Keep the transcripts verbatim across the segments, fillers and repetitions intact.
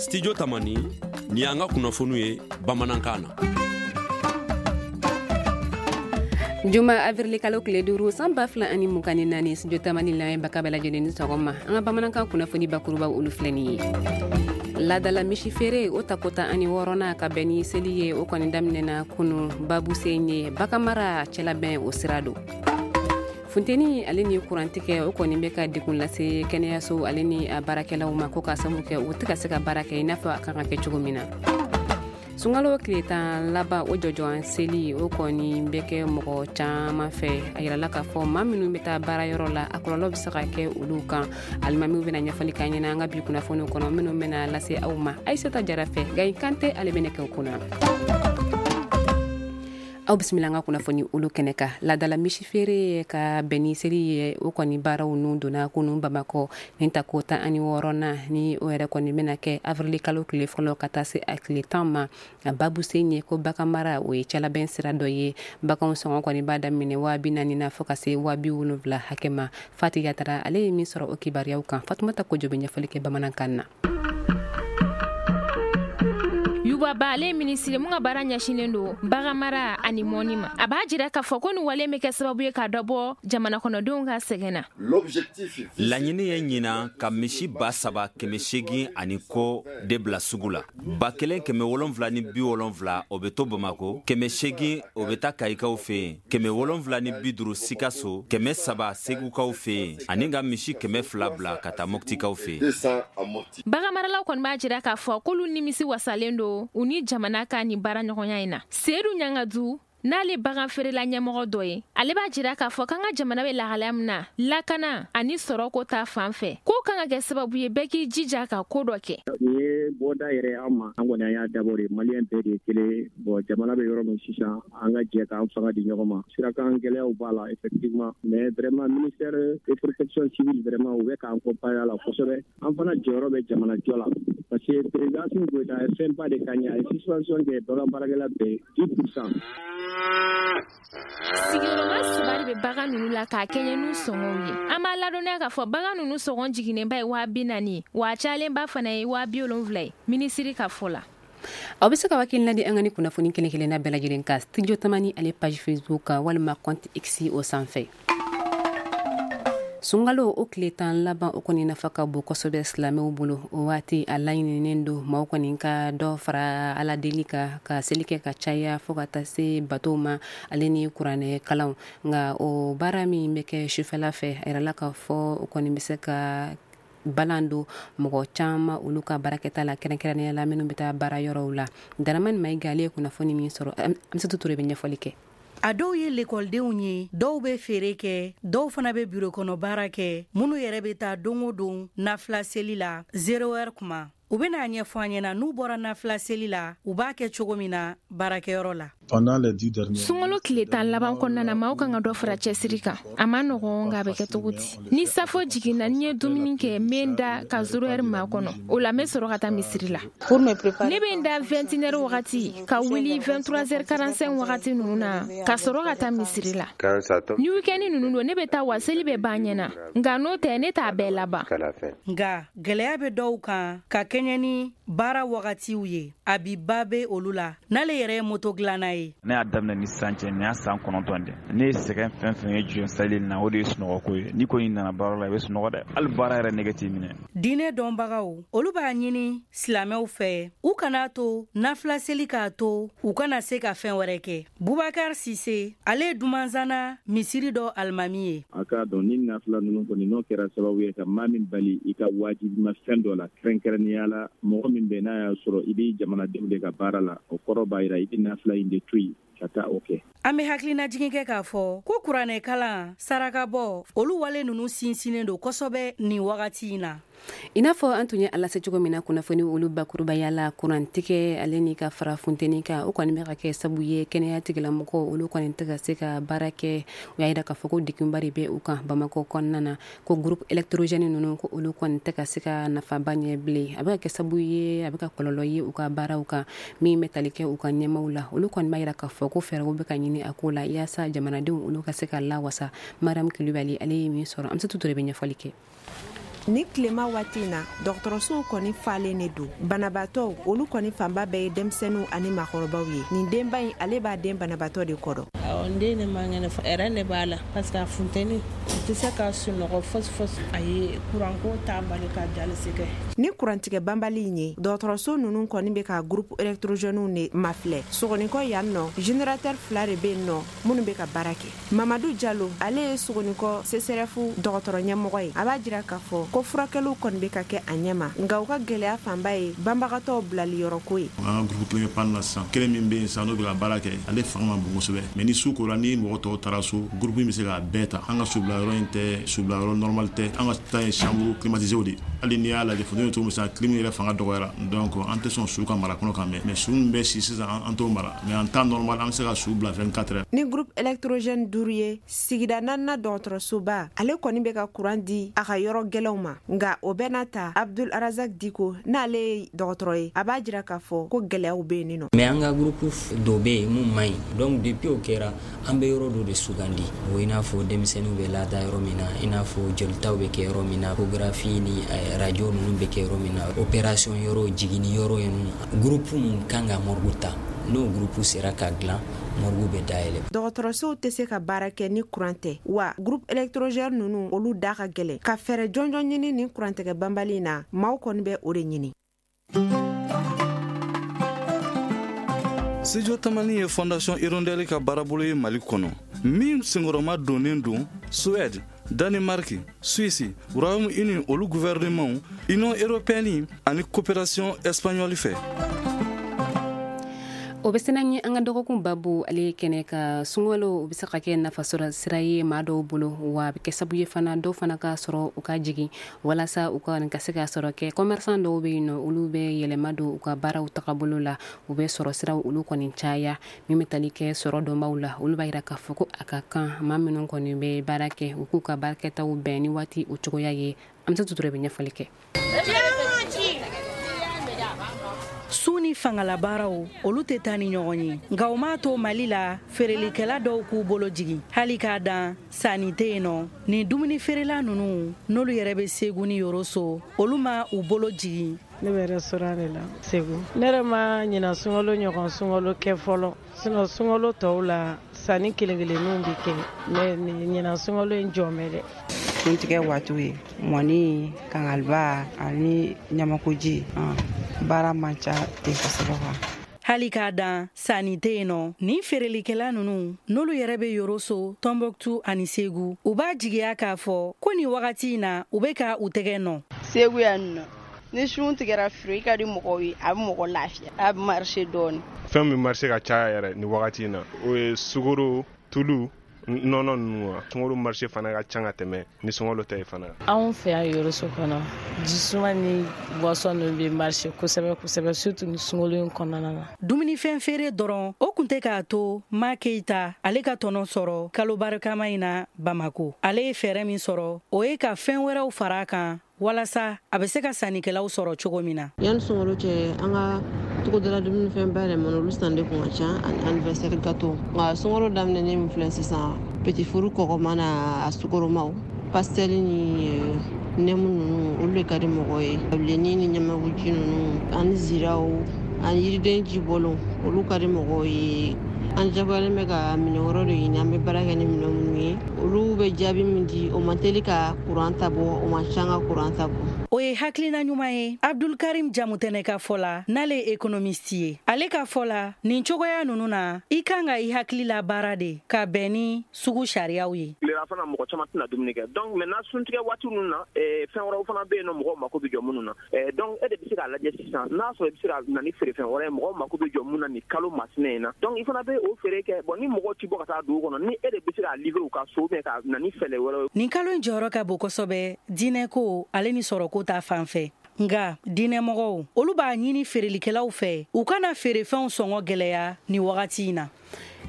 Studio Tamani, ni y'an ka kunnafoniw ye bamanankan na. Juma avril kalo tile duuru san ba fila ani mugan ni naani, Studio Tamani lamɛnbaga bɛɛ lajɛlen ni sɔgɔma. An ka bamanankan kunnafoni bakurubaw, olu filɛ nin ye. Ladala misi feere o tako tan ani wɔɔrɔnan ka bɛn ni seli ye, o kɔni daminɛna kunu. Babusen ye baganmara cɛlabɛn o sira don. Funteni ale ni kurantigɛ, o kɔni bɛ ka degun lase kɛnɛyaso ale ni a baarakɛlaw ma, ko k'a sababu kɛ u tɛ ka se ka baara kɛ i n'a fɔ a kan ka kɛ cogo min na. Sunkalo tile tan laban o jɔjɔn seli, o kɔni bɛ kɛ mɔgɔ caman fɛ. A yirala k'a fɔ maa minnu bɛ taa baarayɔrɔ la, a kɔlɔlɔ bɛ se ka kɛ olu kan. Alimamiw bɛna ɲɛfɔli k'an ɲɛna an ka bi kunnafoniw kɔnɔ minnu bɛna lase aw ma Ayisata Jara fɛ. Gayi Kante, ale bɛ nɛgɛw kunna. Aw bisimila an ka kunnafoni olu kɛnɛ kan. Ladala misi feere ka bɛn ni seli ye, o kɔni baaraw nun donna kunun Bamakɔ. Nin tako tan ani wɔɔrɔnan ni o yɛrɛ kɔni bɛna kɛ avril kalo tile fɔlɔ ka taa se a tile tan ma. A babusen ye ko baganmara, o ye cɛlabɛn sira dɔ ye. Baganw sɔngɔ kɔni b'a daminɛ waa bi naani na fo ka se waa bi wolonwula hakɛ ma. Fati Yatara, ale ye min sɔrɔ o kibaruyaw kan, Fatumata Kojo bɛ ɲɛfɔli kɛ bamanankan na. Yuba Ba, ale ye minisiri mun ka baara ɲɛsinnen don baganmara ani mɔni ma, a b'a jira k'a fɔ ko nin wale bɛ kɛ sababu ye ka dɔ bɔ jamana kɔnɔdenw ka sɛgɛn na. Laɲini ye ɲinan ka misi ba saba kɛmɛ seegin ani kɔ de bila sugu la. Ba kelen kɛmɛ wolonfila ni bi wolonfila, o bɛ to Bamako, kɛmɛ seegin, o bɛ taa Kayikaw fɛ yen, kɛmɛ wolonfila ni bi duuru Sikaso, kɛmɛ saba Segukaw fɛ yen, ani ka misi kɛmɛ fila bila ka taa Mɔptikaw fɛ yen. Baganmaralaw kɔni b'a jira k'a fɔ k'olu nimisi wasalen don u ni jamana ka nin baara ɲɔgɔnya in na. Seyidu Ɲangadu, n'ale bagan feerela ɲɛmɔgɔ dɔ ye, ale b'a jira k'a fɔ k'an ka jamana bɛ lahalaya min na, lakana ani sɔrɔko ta fan fɛ, k'o kan ka kɛ sababu ye bɛɛ k'i jija ka ko dɔ kɛ. Nin ye bɔda yɛrɛ an ma. An kɔni, an y'a dabɔ de Maliyɛn bɛɛ de ye kelen. Bon, jamana bɛ yɔrɔ min sisan, an ka jɛ k'an fanga di ɲɔgɔn ma. Sirakan gɛlɛyaw b'a la effectivement, mais vraiment, ministère de Protection civile, vraiment, u bɛ k'an accompagner a la kosɛbɛ. An fana jɔyɔrɔ bɛ jamana jɔ la, parce que président Assimi Goïta a ye fɛnba de k'an ye. A ye suspension kɛ bagan baarakɛla bɛɛ dix pour cent. Sigiyɔrɔma saba de bɛ bagan ninnu la k'a kɛɲɛ n'u sɔngɔw ye. An b'a ladɔnniya k'a fɔ bagan ninnu sɔngɔ jiginnenba ye waa bi naani, wa a cayalenba fana ye waa bi wolonfila ye, minisiri ka fɔ la. Aw bɛ se ka hakilina di an ka ni kunnafoni kelen kelenna bɛɛ lajɛlen kan Studio Tamani ale page Facebook kan walima compte X o sanfɛ. Sunkalo o tile tan laban, o kɔni nafa ka bon kosɛbɛ silamɛw bolo. O waati a laɲininen don maaw kɔni ka dɔ fara Ala deli kan, ka seli kɛ ka caya, fo ka taa se batow ma ale ni kuranɛ kalanw. Nka o baara min bɛ kɛ sufɛla fɛ, a yirala k'a fɔ o kɔni bɛ se ka balan don mɔgɔ caman olu ka baarakɛta la, kɛrɛnkɛrɛnnenya la minnu bɛ taa baara yɔrɔw la. Daramani Mayiga, ale ye kunnafoni min sɔrɔ, Amisatu Ture bɛ ɲɛfɔli kɛ. A dɔw ye lekɔlidenw ye, dɔw bɛ feere kɛ, dɔw fana bɛ biro kɔnɔ baara kɛ, minnu yɛrɛ bɛ taa don o don nafila seli la zéro heure kuma. U bɛna ɲɛfɔ an ɲɛna, n'u bɔra nafila seli la, u b'a kɛ cogo min na baarakɛyɔrɔ la. Sunkalo tile tan laban kɔnɔna na, maaw kan ka dɔ fara cɛsiri kan. A ma nɔgɔn, nka a bɛ kɛ cogo di? Ni safo jiginna, ni ye dumuni kɛ, n bɛ n da ka zéro heure maa kɔnɔ. O la n bɛ sɔrɔ ka taa misiri la. Ne bɛ n da vingt et une heures wagati ka wuli vingt-trois heures quarante-cinq wagati ninnu na ka sɔrɔ ka taa misiri la. Ni week-end ninnu don, ne bɛ taa wa seli bɛ ban ɲɛna, nka n'o tɛ, ne t'a bɛɛ laban. Nka gɛlɛya bɛ dɔw kan ka kɛɲɛ ni baara wagatiw ye. A bi ba bɛ olu la, n'ale yɛrɛ ye moto dilanna ye. Ne y'a daminɛ ni sisan cɛ, nin y'a san kɔnɔntɔn de. Ne ye sɛgɛn fɛn fɛn ye jɔ sali na, o de ye sunɔgɔko ye. N'i kɔni nana baara la, i bɛ sunɔgɔ dɛ, hali baara yɛrɛ nɛgɛ t'i minɛ. Diinɛ dɔnbagaw, olu b'a ɲini silamɛw fɛ, u kana to nafila seli k'a to u kana se ka fɛn wɛrɛ kɛ. Bubakar Sise, ale ye Dumanzana misiri dɔ alimami ye. A k'a dɔn ni nafila ninnu kɔni, n'o kɛra sababu ye ka maa min bali i ka wajibima fɛn dɔ la, kɛrɛnkɛrɛnnenya la mɔgɔ min bɛ n'a y'a sɔrɔ i bɛ jamanadenw de ka baara la, o kɔrɔ b'a jira i bɛ nafila in de to yen ka taa o kɛ. An bɛ hakilinajigin kɛ k'a fɔ ko kuranɛ kalan, sarakabɔ, olu wale ninnu sinsinnen don kosɛbɛ nin wagati in na. I n'a fɔ an tun ye a lase cogo min na kunnafoni olu bakurubaya la, kurantigɛ ale ni ka fara funteni kan, o kɔni bɛ ka kɛ sabu ye kɛnɛya tigilamɔgɔw olu kɔni tɛ ka se ka baara kɛ. U y'a jira k'a fɔ ko degunba de bɛ u kan Bamakɔ kɔnɔna na, ko groupe électrogène ninnu, ko olu kɔni tɛ ka se ka nafaba ɲɛ bilen. A bɛ ka kɛ sababu ye, a bɛ ka kɔlɔlɔ ye u ka baaraw kan. Min bɛ tali kɛ u ka ɲɛmaw la, olu kɔni b'a jira k'a fɔ ko fɛɛrɛw bɛ ka ɲini a ko la yaasa jamanadenw olu ka se ka lawasa. Mariam Kulibali, ale ye min sɔrɔ, Amisatu Ture bɛ ɲɛfɔli kɛ. Ni tilema waati in na, dɔgɔtɔrɔsow kɔni falen de don. Banabaatɔw, olu kɔni fanba bɛɛ ye denmisɛnninw ani maakɔrɔbaw ye. Nin denba in, ale b'a den banabaatɔ de kɔrɔ. Awɔ, n den ne man kɛnɛ, hɛrɛ de b'a la parce que a funteni a tɛ se ka sunɔgɔ fosi fosi. Ayi, kuranko t'a bali ka dialyse kɛ. Ni kurantigɛ banbali in ye, dɔgɔtɔrɔso ninnu kɔni bɛ ka groupe électrogène de mafilɛ. Sogonikɔ yan nɔ, générateur fila de bɛ yen nɔ minnu bɛ ka baara kɛ. Mamadu Jalo, ale ye Sogonikɔ C S R F dɔgɔtɔrɔ ɲɛmɔgɔ ye. A b'a jira k'a fɔ ko furakɛliw kɔni bɛ ka kɛ a ɲɛ ma, nka u ka gɛlɛya fanba ye banbagatɔw bilali yɔrɔko ye. An ka groupe kelen bɛ panne na sisan, kelen min bɛ yen sisan n'o bɛ ka baara kɛ, ale fanga ma bon kosɛbɛ. Mais ni su kora, ni mɔgɔ tɔw taara so, groupe in bɛ se k'a bɛɛ ta. An ka subila yɔrɔ in tɛ subila yɔrɔ normal tɛ, an ka ta ye chambre climatisée de. Hali n'i y'a lajɛ funteni cogo min sisan, clim yɛrɛ fanga dɔgɔyara, donc an tɛ sɔn su ka mara kɔnɔ kan mɛn. Mais su min bɛ si sisan, an t'o mara. Mais en temps normal, an bɛ se ka su bila vingt-quatre heures. Ni groupe électrogène duuru ye, sigida naaninan dɔgɔtɔrɔsoba, ale kɔni bɛ ka courant di a ka yɔrɔ gɛlɛnw ma. Nka o bɛɛ n'a ta, Abdul Razak Diko, n'ale ye dɔgɔtɔrɔ ye, a b'a jira k'a fɔ ko gɛlɛyaw bɛ yen nɔ. Mais an ka groupe dɔ bɛ yen mun man ɲi, donc depuis o kɛra, an bɛ yɔrɔ dɔ de sugandi. O i n'a fɔ denmisɛnninw bɛ laada yɔrɔ min na, i n'a fɔ jolitaw bɛ kɛ yɔrɔ min na, échographie ni radio ninnu bɛ kɛ yɔrɔ min na, opération yɔrɔ, jiginni yɔrɔ ninnu. Groupe mun kan ka morgue ta, n'o groupe sera ka dilan, morgue bɛ dayɛlɛ. Dɔgɔtɔrɔsow tɛ se ka baara kɛ ni courant tɛ, wa groupe électrogène ninnu, olu da ka gɛlɛn. Ka fɛɛrɛ jɔnjɔn ɲini nin kurantigɛ banbali in na, maaw kɔni bɛ o de ɲini. Studio Tamani ye Fondation Hirondelle ka baarabolo ye Mali kɔnɔ, min senkɔrɔma donnen don Suède, Danemark, Suisse, Royaume-Uni olu gouvernement, Union européenne ani coopération espagnole fɛ. O bɛ sena ye an ka dɔgɔkun babu, ale kɛnɛ ka sunkalo, o bɛ se ka kɛ nafasɔrɔ sira ye maa dɔw bolo, wa a bɛ kɛ sababu ye fana dɔw fana ka sɔrɔ u ka jigin walasa u ka ka se ka sɔrɔ kɛ. Commerçant dɔw bɛ yen nɔ, olu bɛ yɛlɛma don u ka baaraw tagabolo la, u bɛ sɔrɔ siraw olu kɔni caya. Min bɛ tali kɛ sɔrɔ dɔnbaw la, olu b'a jira k'a fɔ ko a ka kan maa minnu kɔni bɛ baara kɛ, u k'u ka baarakɛtaw bɛn ni waati o cogoya ye. An bɛ se tutura bɛ ɲɛfɔli kɛ. Su ni fangalabaaraw, olu tɛ taa ni ɲɔgɔn ye. Nka o m'a to Mali la, feerelikɛla dɔw k'u bolo jigin. Hali k'a dan sanni tɛ yen nɔ, nin dumuni feerela ninnu, n'olu yɛrɛ bɛ Segu ni Yoroso, olu ma u bolo jigin. Ne bɛ restaurant de la Segu. Ne yɛrɛ ma ɲina sunkalo ɲɔgɔn sunkalo kɛ fɔlɔ. Sinon sunkalo tɔw la, sanni kelen kelenninw bɛ kɛ. Mais ɲina sunkalo in jɔ bɛ dɛ. Suntigɛ waatiw ye mɔni, kangaliba ani ɲamakoji. Baara man ca ten kosɛbɛ quoi. Hali k'a dan sanni tɛ yen nɔ, nin feerelikɛla ninnu, n'olu yɛrɛ bɛ Yoroso, Tɔnbɔkutu ani Segu, u b'a jigiya k'a fɔ ko nin wagati in na, u bɛ ka u tɛgɛ nɔ. Segu yan nɔ, ni sun tigɛra feere ka di mɔgɔw ye, a bɛ mɔgɔ lafiya, a bɛ marché dɔɔni. Fɛn min marché ka caya yɛrɛ nin wagati in na, o ye sukaro, tulu, nɔnɔ ninnu wa. Sunkalo marché fana ka ca ka tɛmɛ ni sunkalo tɛ ye fana. Anw fɛ yan Yoroso kɔnɔ, jisuma ni boisson ninnu bɛ marché kosɛbɛ kosɛbɛ, surtout ni sunkalo in kɔnɔna na. Dumunifɛn feere dɔrɔn, o kun tɛ k'a to Ma Keyita ale ka tɔnɔ sɔrɔ kalo barikama in na Bamako. Ale ye fɛɛrɛ min sɔrɔ, o ye ka fɛn wɛrɛw fara a kan walasa a bɛ se ka sannikɛlaw sɔrɔ cogo min na. Yanni sunkalo cɛ, an ka togodala dumunifɛn bayɛlɛmani olu san de kun ka ca ani anniversaire gâteau. Nka sunkalo daminɛnen min filɛ sisan, petit four kɔgɔma n'a sukoromaw, pastel ni nɛmu ninnu, olu de ka di mɔgɔ ye. Bilenni ni ɲamakuji ninnu ani ziraw ani yiriden ji bɔlɔn, olu ka di mɔgɔw ye. An jagoyalen bɛ ka minɛn wɛrɛw de ɲini, an bɛ baara kɛ ni minɛn minnu ye. Olu bɛ jaabi min di, o man teli ka kuran ta bɔ, o man ca ka kuran ta bɔ. O ye hakilina ɲuman ye Abdulkarim Jamutɛnɛ ka fɔ la, n'ale ye économiste ye. Ale ka fɔ la, nin cogoya ninnu na, i kan ka i hakili la baara de ka bɛn ni sugu sariyaw ye. Tilela fana mɔgɔ caman tɛna dumuni kɛ, donc maintenant suntigɛ waati ninnu na, fɛn wɛrɛw fana bɛ yen nɔ mɔgɔw mako bɛ jɔ minnu na. Donc e de bɛ se k'a lajɛ sisan, n'a sɔrɔ i bɛ se ka na ni feerefɛn wɛrɛ ye mɔgɔw mako bɛ jɔ mun na nin kalo masinɛ in na. Donc i fana bɛ o feere kɛ. Bon, ni mɔgɔw ti bɔ ka taa dugu kɔnɔ, ni e de bɛ se k'a livrer u ka so, ka na ni fɛɛrɛ wɛrɛ ye. Nin kalo in jɔyɔrɔ ka bon kosɛbɛ diinɛko ale ni sɔrɔko ta fan fɛ. Nka diinɛmɔgɔw, olu b'a ɲini feerelikɛlaw fɛ u kana feerefɛnw sɔngɔ gɛlɛya nin wagati in na.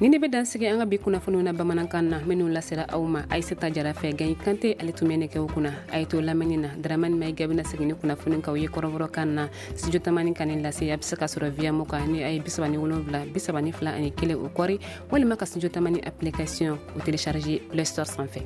Ni ne bɛ dansigi an ka bi kunnafoniw na bamanankan na, minnu lasera aw ma Ayisata Jara fɛ. Gayi Kante ale tun bɛ nɛgɛw kunna. A ye to lamɛnni na. Dramani Mayiga bɛna segin ni kunnafoni k'aw ye kɔrɔbɔrɔkan na. Studio Tamani ka nin lase, a bɛ se ka sɔrɔ via mo kan ni a ye bisaba ni wolonwula bisaba ni fila ani kelen o kɔri, walima ka Studio Tamani application o télécharger Play Store sanfɛ.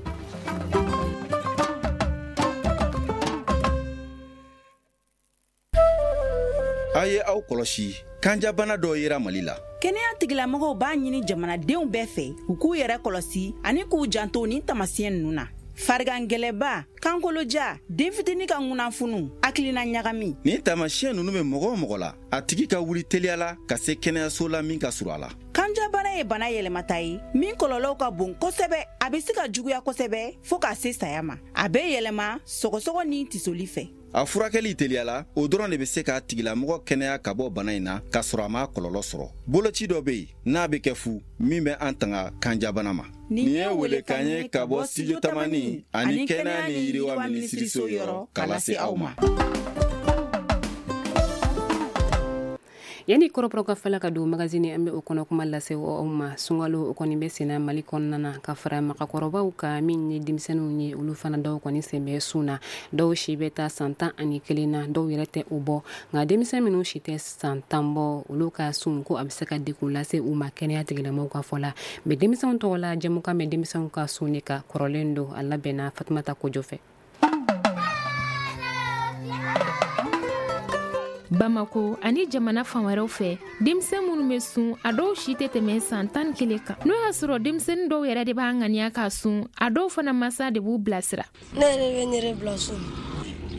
A ye aw kɔlɔsi, kanjabana dɔ yera Mali la. Kɛnɛya tigilamɔgɔw b'a ɲini jamanadenw bɛɛ fɛ u k'u yɛrɛ kɔlɔsi ani k'u janto nin taamasiyɛn ninnu na: farigan gɛlɛba, kankoloja, den fitinin ka ŋunanfunu, hakilina ɲagami. Nin taamasiyɛn ninnu bɛ mɔgɔ o mɔgɔ la, a tigi ka wuli teliya la ka se kɛnɛyaso la min ka surun a la. Kanjabana ye bana yɛlɛmata ye min kɔlɔlɔw ka bon kosɛbɛ. A bɛ se ka juguya kosɛbɛ fo k'a se saya ma. A bɛ yɛlɛma sɔgɔsɔgɔ ni tisoli fɛ. A furakɛli teliya la, o dɔrɔn de bɛ se k'a tigilamɔgɔ kɛnɛya ka bɔ bana in na k'a sɔrɔ a m'a kɔlɔlɔ sɔrɔ. Boloci dɔ bɛ yen n'a bɛ kɛ fu, min bɛ an tanga kanjabana ma. Nin ye welekan ye ka bɔ Studio Tamani ani kɛnɛya ni yiriwa minisiriso yɔrɔ k'a lase aw ma. Yanni kɔrɔbɔrɔ ka fala ka don magazine, an bɛ o kɔnɔ kuma lase aw ma. Sunkalo o kɔni bɛ senna Mali kɔnɔna na, ka fara magakɔrɔbaw kan, min ye denmisɛnninw ye, olu fana dɔw kɔni sen bɛ sun na. Dɔw si bɛ taa san tan ani kelen na, dɔw yɛrɛ tɛ o bɔ. Nka denmisɛn minnu si tɛ san tan bɔ, olu ka sun ko a bɛ se ka degun lase u ma kɛnɛya tigilamɔgɔw ka fɔ la. Mɛ denmisɛnw tɔgɔ la jɛmukan bɛ denmisɛnw ka sun de ka kɔrɔlen don, a labɛnna Fatumata Kojo fɛ. Bamako ani jamana fan wɛrɛw fɛ, denmisɛn minnu bɛ sun, a dɔw si tɛ tɛmɛ san tan ni kelen kan. N'o y'a sɔrɔ denmisɛnnin dɔw yɛrɛ de b'a ŋaniya k'a sun, a dɔw fana masa de b'u bilasira. Ne yɛrɛ bɛ n yɛrɛ bila sun,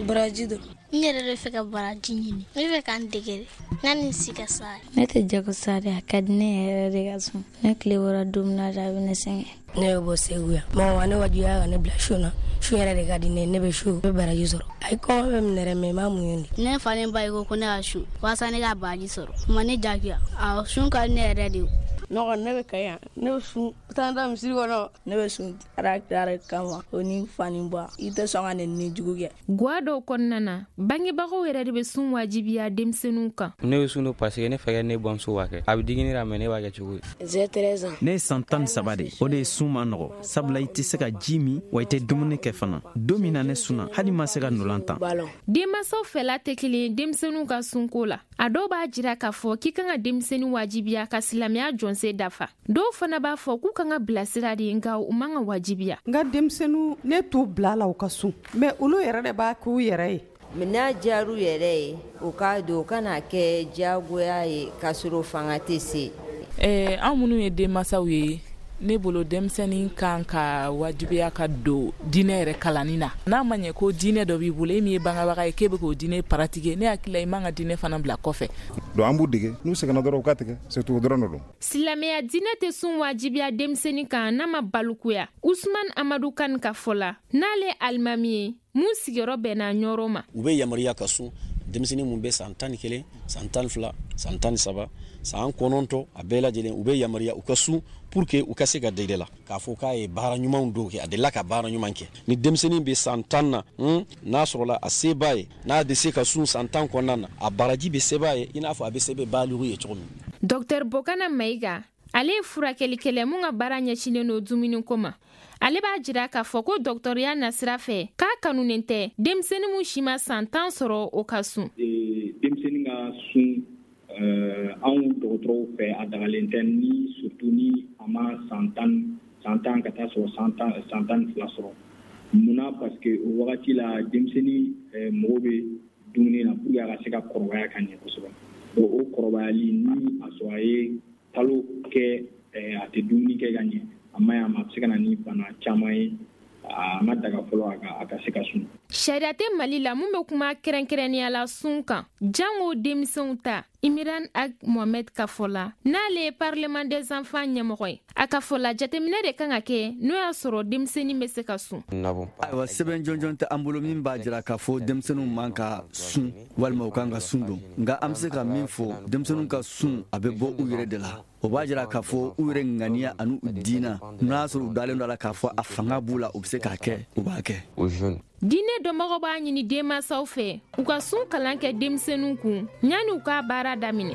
baraji don. N yɛrɛ de fɛ ka baraji ɲini, ne fɛ ka n dege de, n ka nin si ka sa. Ne tɛ jago sa de, a ka di ne yɛrɛ de ka sun. Ne tile bɔra don min na de, a bɛ ne sɛgɛn. Ne bɛ bɔ Segu yan. Mɔgɔ ne wajibiya ka ne bila sun na. Sun yɛrɛ de ka di ne, ne bɛ sun, ne bɛ baraji sɔrɔ. Ayi, kɔngɔ bɛ minɛ dɛ, mɛ n b'a muɲu de. Ne fa ni ba ko ko ne ka sun walasa ne ka baraji sɔrɔ. Ma ne jagoya, awɔ, sun ka di ne yɛrɛ de ye. Ne kɔni ne bɛ Kayi yan, ne bɛ sun taa da misiri kɔnɔ. Ne bɛ sun Ala kira kama, o ni fa ni ba, i tɛ sɔn ka nɛni jugu kɛ. Gwa dɔw kɔnɔna na, bangebagaw yɛrɛ de bɛ sun wajibiya denmisɛnninw kan. Ne bɛ sun don parce que ne fɛ ne bamuso b'a kɛ. A bɛ digi ne la, mɛ ne b'a kɛ cogo di? Ne ye san tan ni saba de, o de ye sun ma nɔgɔ, sabula i tɛ se ka ji min, wa i tɛ dumuni kɛ fana. Don min na ne sunna, hali ma se ka ndolan tan. Denmansaw fɛla tɛ kelen ye denmisɛnninw ka sunko la. A dɔw b'a jira k'a fɔ k'i kan ka denmisɛnnin wajibiya ka silamɛya jɔnse dafa. Dɔw fana b'a fɔ k'u kan ka bilasira de, nka u man ka wajibiya. N ka denmisɛnninw, ne t'u bila la u ka sun, mɛ olu yɛrɛ de b'a k'u yɛrɛ ye. N'a diyar'u yɛrɛ ye, u k'a don, u kana kɛ diyagoya ye k'a sɔrɔ fanga tɛ se. Ɛɛ, an minnu ye denmansaw ye, ne bolo denmisɛnnin kan ka wajibiya ka don diinɛ yɛrɛ kalanni na. N'a ma ɲɛ ko diinɛ dɔ b'i bolo, e min ye bangebaga ye k'e bɛ k'o diinɛ pratiquer, ne hakili la i man ka diinɛ fana bila kɔfɛ. Donc an b'u dege, n'u sɛgɛnna dɔrɔn u ka tigɛ, surtout o dɔrɔn de don. Silamɛya diinɛ tɛ sun wajibiya denmisɛnnin kan n'a ma balikuya. Usman Amadu Kan ka fɔ la, n'ale alimami ye mun sigiyɔrɔ bɛnna Ɲɔrɔ ma. U bɛ yamaruya ka sun denmisɛnnin mun bɛ san tan ni kelen, san tan ni fila, san tan ni saba, san kɔnɔntɔn, a bɛɛ lajɛlen u bɛ yamaruya u ka sun pour que u ka se ka dege la k'a fɔ k'a ye baara ɲumanw dɔw kɛ, a delila ka baara ɲuman kɛ. Ni denmisɛnnin bɛ san tan na, n'a sɔrɔla a se b'a ye, n'a bɛ se ka sun san tan kɔnɔna na, a baraji bɛ se b'a ye i n'a fɔ a bɛ se bɛ baliku ye cogo min. Docteur Bokana Mayiga, ale ye furakɛlikɛla mun ka baara ɲɛsinnen don dumuniko ma. Ale b'a jira k'a fɔ ko dɔgɔtɔrɔya nasira fɛ k'a kanunen tɛ denmisɛnnin mun si ma san tan sɔrɔ o ka sun. Denmisɛnnin ka sun, anw dɔgɔtɔrɔw fɛ a dagalen tɛ, ni surtout ni a ma san tan san tan ka taa sɔrɔ san tan san tan ni fila sɔrɔ. Munna? Parce que o wagati la denmisɛnnin mago bɛ dumuni na pour que a ka se ka kɔrɔbaya ka ɲɛ kosɛbɛ. Bon, o kɔrɔbayali ni a sɔrɔ a ye kalo kɛ a tɛ dumuni kɛ ka ɲɛ, a ma ɲi a ma, a bɛ se ka na ni bana caman ye. A ma daga fɔlɔ a ka a ka se ka sun. Sariya tɛ Mali la mun bɛ kuma kɛrɛnkɛrɛnnenya la sun kan, jango denmisɛnw ta. Imiran Ag Mohamed ka fɔ la, n'ale ye Parlement des enfants ɲɛmɔgɔ ye, a ka fɔ la jateminɛ de kan ka kɛ n'o y'a sɔrɔ denmisɛnnin bɛ se ka sun. Ayiwa, sɛbɛn jɔnjɔn tɛ an bolo min b'a jira k'a fɔ denmisɛnninw man ka sun walima u kan ka sun don. Nka an bɛ se ka min fɔ, denmisɛnninw ka sun a bɛ bɔ u yɛrɛ de la. O b'a jira k'a fɔ u yɛrɛ ŋaniya ani u diina, n'a y'a sɔrɔ u dalen don a la k'a fɔ a fanga b'u la, u bɛ se k'a kɛ, u b'a kɛ. Diinɛ dɔnbagaw b'a ɲini denmansaw fɛ u ka sun kalan kɛ denmisɛnninw kun yanni u ka baara daminɛ.